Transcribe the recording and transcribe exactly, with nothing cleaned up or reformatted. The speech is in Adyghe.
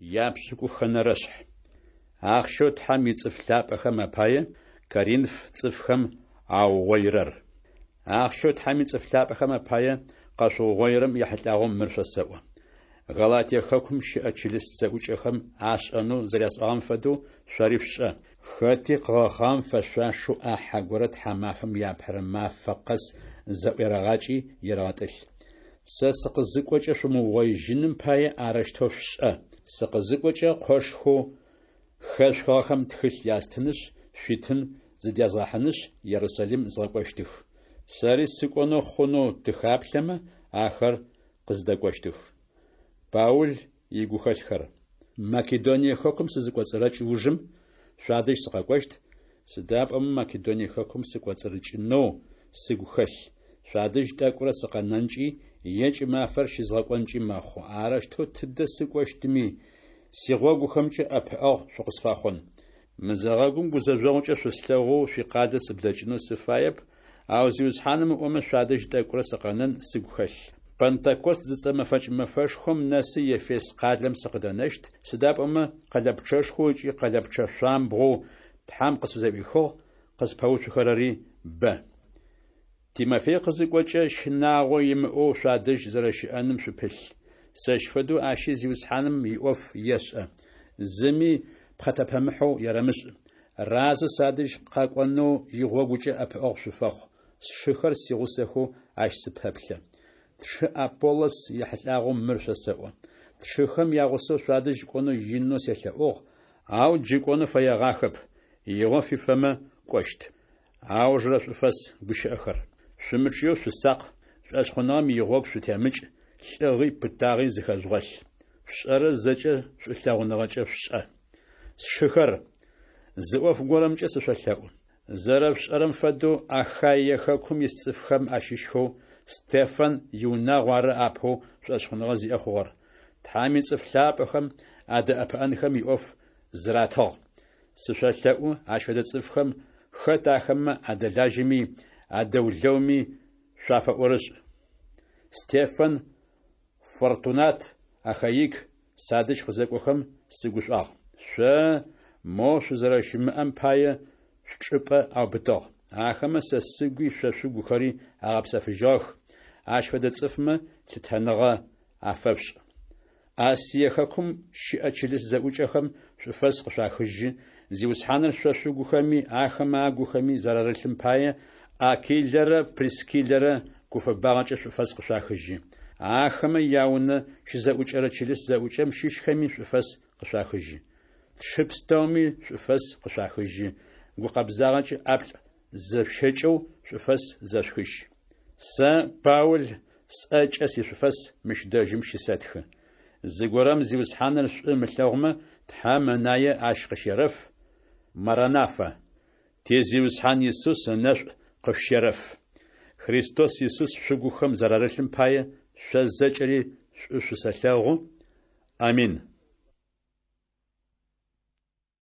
Япшӏыкӏухэнэрэшъхь. Ахъщэу Тхьэм ицӏыф лъапӏэхэм апае Коринф цӏыфхэм аугъоирэр. Ахъщэу Тхьэм ицӏыф лъапӏэхэм апае къэшъуугъоирэм ехьылӏагъэу мыр шъосэӏо. Галатие хэкум щыӏэ чылыс зэӏукӏэхэм ашӏэнэу зэрясӏуагъэм фэдэу, шъори шъушӏэ. Хэти къыгъэхъагъэм фэшъуашэу ӏахьэ горэ тхьамафэм иапэрэ мафэ къэс зэӏуерэгъакӏи ерэгъэтӏылъ. Сэ сыкъызыкӏокӏэ шъумыугъоижьыным пае арэущтэу шъушӏэ. Сыкъызыкӏокӏэ, къошхэу хэшъухыгъэхэм тхылъ ястынышъ, шъуитын зыдязгъэхьынышъ, Ерусалим згъэкӏощтых. Сэри сыкӏонэу хъунэу тыхаплъэмэ, ахэр къыздэкӏощтых. Паул игухэлъхэр. Македоние хэкум сызыкӏоцӏырэкӏ ужым, шъуадэжь сыкъэкӏощт, сыда пӏомэ Македоние хэкум сыкӏоцӏырыкӏынэу сыгу хэлъ. Шъуадэжь тӏэкӏурэ сыкъэнэнкӏи е кӏымафэр щызгъэкӏонкӏи мэхъу. Арэущтэу тыдэ сыкӏощтми, сигъогухэмкӏэ ӏэпыӏэгъу шъукъысфэхъун. Мызэгъэгум гузэжъогъукӏэ шъуслъэгъоу шъуикъалэ сыблэкӏынэу сыфаеп, ау Зиусхьаным ыӏомэ, шъуадэжь тӏэкӏурэ сыкъэнэн сыгу хэлъ. Пэнтэкост зыцӏэ мэфэкӏ мэфэшхом нэсы Ефес къалэм сыкъыдэнэщт, сыда пӏомэ къэлэпчъэшхоу ыкӏи къэлэпчъэ шъуамбгъоу Тхьэм къысфызэӏуихыгъ, къыспэуцухэрэри бэ. Тимофей къызыкӏокӏэ, щынагъо имыӏэу шъуадэжь зэрэщыӏэным шъупылъ. Сэщ фэдэу ащи Зиусхьаным иӏоф ешӏэ. Зыми пхъэтэпэмыхьэу ерэмышӏ. Разэу садэжь къэкӏонэу игъогукӏэ ӏэпыӏэгъу шъуфэхъу. Сшыхэр сигъусэхэу ащ сыпэплъэ. Тшы Аполлос ехьылӏагъэу мыр шъосэӏо. Тшыхэм ягъусэу шъуадэжь кӏонэу инэу селъэӏугъ, ау джы кӏонэу фэегъахэп, игъо фифэмэ, кӏощт. Аужырэ шӏуфэс гущыӏэхэр. Шъумычъыеу шъусакъ, шӏошъхъуныгъэм игъогу шъутемыкӏ, лӏыгъи пытагъи зыхэжъугъэлъ. Шъушӏэрэр зэкӏэ шӏулъэгъуныгъэкӏэ шъушӏэ. Сшыхэр, зы ӏоф горэмкӏэ сышъолъэӏу. Зэрэшъушӏэрэм фэдэу, Ахаие хэкум ис цӏыфхэм ащыщхэу Стефан иунагъу ары апэу шӏошъхъуныгъэ зиӏэ хъугъэр. Тхьэм ицӏыф лъапӏэхэм адэӏэпыӏэнхэм иӏоф зыратыгъ. Сышъолъэӏу, ащ фэдэ цӏыфхэм, хэт ахэмэ адэлажьэми, адэулэуми шъуафэӏорышӏ. Стефан, Фортунат, Ахаик садэжь къызэкӏохэм сыгушӏуагъ. Шъо, моу шъузэрэщымыӏэм пае, шъучӏыпӏэ аубытыгъ. Ахэмэ сэ сыгуи шъо шъугухэри агъэпсэфыжьыгъэх. Ащ фэдэ цӏыфмэ лъытэныгъэ афэшъушӏ. Асие хэкум щыӏэ чылыс зэӏукӏэхэм шӏуфэс къышъуахыжьы, Зиусхьаныр шъо шъугухэми ахэмэ агухэми зэрарылъым пае, Акилэрэ Прискиллэрэ гуфэбагъэкӏэ шӏуфэс къышъуахыжьы. Ахэмэ яунэ щызэӏукӏэрэ чылыс зэӏукӏэм щыщхэми шӏуфэс къышъуахыжьы. Тшы пстэуми шӏуфэс къышъуахыжьы, гукъэбзагъэкӏэ ӏаплӏ зэшъущэкӏэу шӏуфэс зэшъухыжь. Сэ, Паул, сӏэкӏэ сишӏуфэс мыщ дэжьым щысэтхы. Зыгорэм Зиусхьаныр шӏу ымылъэгъумэ, Тхьэм ынае ащ къыщерэф. Маранафа! Ти Зиусхьан Исус ынэшӏу къышъущерэф. Христос Исус шъугухэм зэрарылъым пае, шъо зэкӏэри шӏу шъусэлъэгъу. Амин.